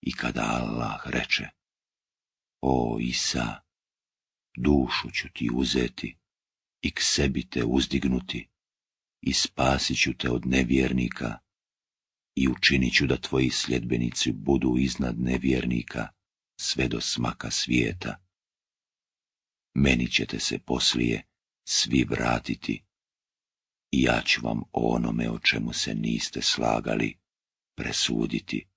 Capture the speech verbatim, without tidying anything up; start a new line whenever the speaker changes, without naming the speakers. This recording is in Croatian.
I kada Allah reče: O Isa, dušu ću ti uzeti i k sebi te uzdignuti i spasit ću te od nevjernika i učinit ću da tvoji sljedbenici budu iznad nevjernika sve do smaka svijeta. Meni ćete se poslije svi vratiti i ja ću vam o onome o čemu se niste slagali presuditi.